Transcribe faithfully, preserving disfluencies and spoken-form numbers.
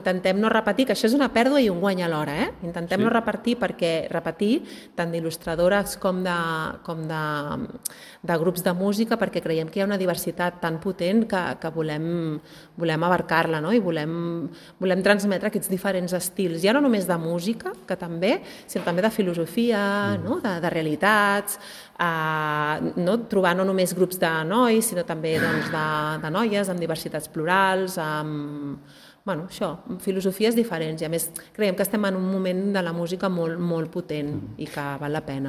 Intentem no repetir, que això és una pèrdua i un guany alhora, eh? Intentem Sí. no repetir perquè repetir tant d'il·lustradores com, de, com de, de grups de música, perquè creiem que hi ha una diversitat tan potent que, que volem, volem abarcar-la, no? I volem, volem transmetre aquests diferents estils, ja no només de música, que també, sinó també de filosofia, mm. no? de, de realitats, eh, no? Trobar no només grups de nois, sinó també doncs, de, de noies amb diversitats plurals, amb bueno, això, filosofies diferents i a més creiem que estem en un moment de la música molt, molt potent i que val la pena.